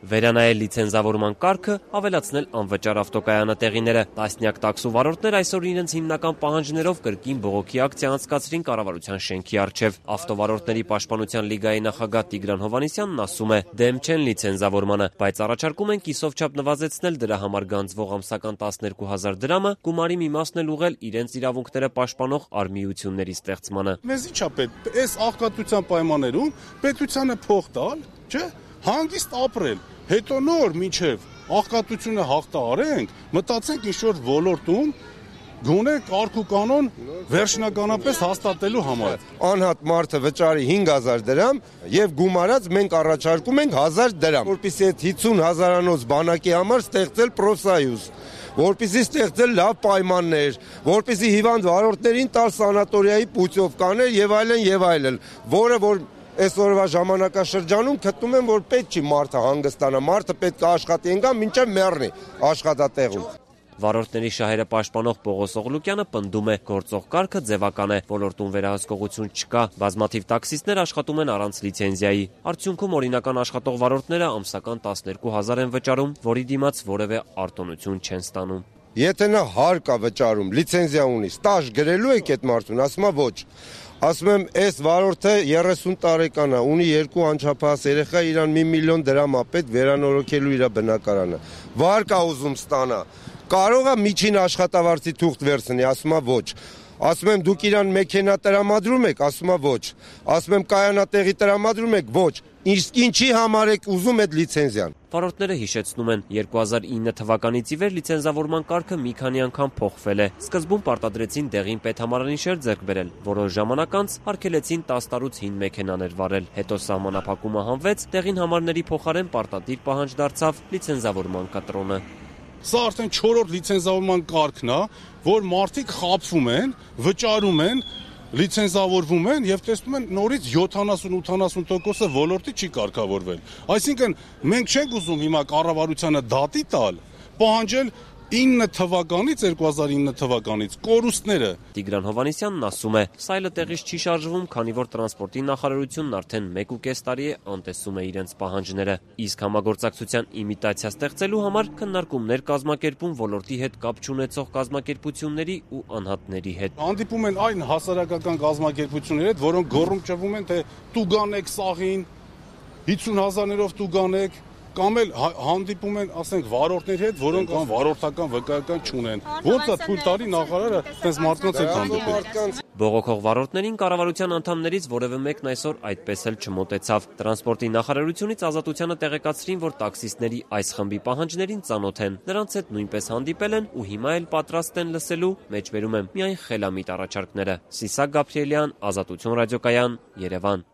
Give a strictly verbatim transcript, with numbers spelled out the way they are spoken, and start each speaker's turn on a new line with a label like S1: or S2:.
S1: Վերանայել լիցենզավորման կարգը, ավելացնել անվճար ավտոկայանատեղիները։ Տասնյակ տաքսու վարորդներ այսօր իրենց հիմնական պահանջներով կրկին բողոքի ակցիա անցկացրին կառավարության շենքի առջև։ Ավտովարորդների պաշտպանության լիգայի նախագահ Տիգրան Հովհաննիսյանն ասում է՝ դեմ չեն լիցենզավորմանը, բայց առաջարկում են կիսով չափ նվազեցնել դրա համար գանձվող ամսական տասներկու հազար դրամը, գումարի մի մասն էլ ուղղել իրենց իրավունքները պաշտպանող արմիությունների ստեղծմանը։
S2: Մեզ ի՞նչ է պետք, այս աղքատության պայմաններում պետությանը փող տալ, չէ՞, հանգիստ ապրել, հետո նոր մինչև աղքատությունը հաղթահարենք, մտածենք ինչ-որ ոլորտում գոնե կարգ ու կանոն վերջնականապես հաստատելու համար։
S3: Անհատ մարդը վճարի հինգ հազար դրամ եւ գումարած մենք առաջարկում ենք հազար դրամ, որպեսզի այդ հիսուն հազարանոց բանակի համար ստեղծել պրոֆսայուզ, որպեսզի ստեղծել լավ պայմաններ, որպեսզի հիվանդ վարորդներին տալ սանատորիայի պուտյովկաներ եւ այլն եւ այլն, որը որ այսօրվա ժամանակաշրջանում գտնում եմ, որ պետք չի մարդը հանգստանա, մարդը պետք է աշխատի ընկա մինչև մեռնի աշխատատեղում։
S1: Վարորդների շահերը պաշտպանող Պողոս Օղլուկյանը պնդում է՝ գործող կարգը ձևական է, ոլորտում վերահսկողություն չկա, բազմաթիվ տաքսիստներ աշխատում են առանց լիցենզիայի։ Արդյունքում օրինական աշխատող վարորդները ամսական տասներկու հազար են վճարում, որի դիմաց որևէ արտոնություն չեն ստանում։
S3: Եթե նա հարկ է վճարում, լիցենզիա ունի, ստաժ գրելու եք այդ մարդուն, ասում է ոչ։ Ասում եմ, այս վարորդը երեսուն տարեկան է, ունի երկու անչափահաս երեխա, իրան մի միլիոն դրամ է պետք վերանորոգելու իր բնակարանը։ Վարկ է ուզում ստանա, կարող է միջին աշխատավարձի թուղթ վերցնի, ասում է ոչ։ Ասում եմ, դուք իրան մեքենա տրամադրում եք, ասում է ոչ։ Ասում եմ, կայանատեղի տրամադրում եք, ոչ։ Իսկ ինչի համար եք ուզում այդ լիցենզիան։
S1: Վարորդները հիշեցնում են, երկու հազար ինը թվականից ի վեր լիցենզավորման կարգը մի քանի անգամ փոխվել է։ Սկզբում պարտադրեցին դեղին պետհամարանիշեր ձեռք բերել, որոշ ժամանակ անց արգելեցին տասը տարուց հին մեքենաներ վարել։ Հետո սահմանափակումը հանվեց, դեղին համարների փոխարեն պարտադիր պահանջ դարձավ լիցենզավորման կտրոնը։
S2: Սա արդեն չորրորդ լիցենզավորման կարգն է, որ մարդիկ խաբվում են, վճարում են, լիցենզավորվում են եւ տեսնում են նորից յոթանասուն-ութանասուն տոկոսը ոլորտի չի կարգավորվել։ Այսինքն մենք չենք ուզում հիմա կառավարությանը դատի տալ, պահանջել ինը թվականից, երկու հազար ինը թվականից կորուստները։
S1: Տիգրան Հովհաննիսյանն ասում է, սայլը տեղից չի շարժվում, քանի որ տրանսպորտի նախարարությունն արդեն մեկ ու կես տարի է անտեսում է իրենց պահանջները։ Իսկ համագործակցության իմիտացիա ստեղծելու համար քննարկումներ կազմակերպում ոլորտի հետ կապ չունեցող կազմակերպությունների ու անհատների հետ։
S2: Հանդիպում են այն հասարակական կազմակերպությունների հետ, որոնք գոռում ճվում են, թե տուգանեք սաղին, հիսուն հազարներով տուգանեք, կամ էլ հանդիպում են, ասենք, վարորդների հետ, որոնք ան վարորդական վկայական չունեն։ Ոնց է թույլ տալի նախարարը այդպես մարդկանց հետ հանդիպել։
S1: Բողոքող վարորդներին կառավարության անդամներից որևէ մեկն այսօր այդպես էլ չմոտեցավ։ Տրանսպորտի նախարարությունից Ազատությանը տեղեկացրին, որ տաքսիստների այս խմբի պահանջներին ծանոթ են։ Նրանց հետ նույնպես հանդիպել են ու հիմա էլ պատրաստ են լսելու, մեջբերում եմ, միայն խելամիտ առաջարկները։ Սիսակ Գաբրիելյան, Ազատություն ռադիոկայան, Երևան։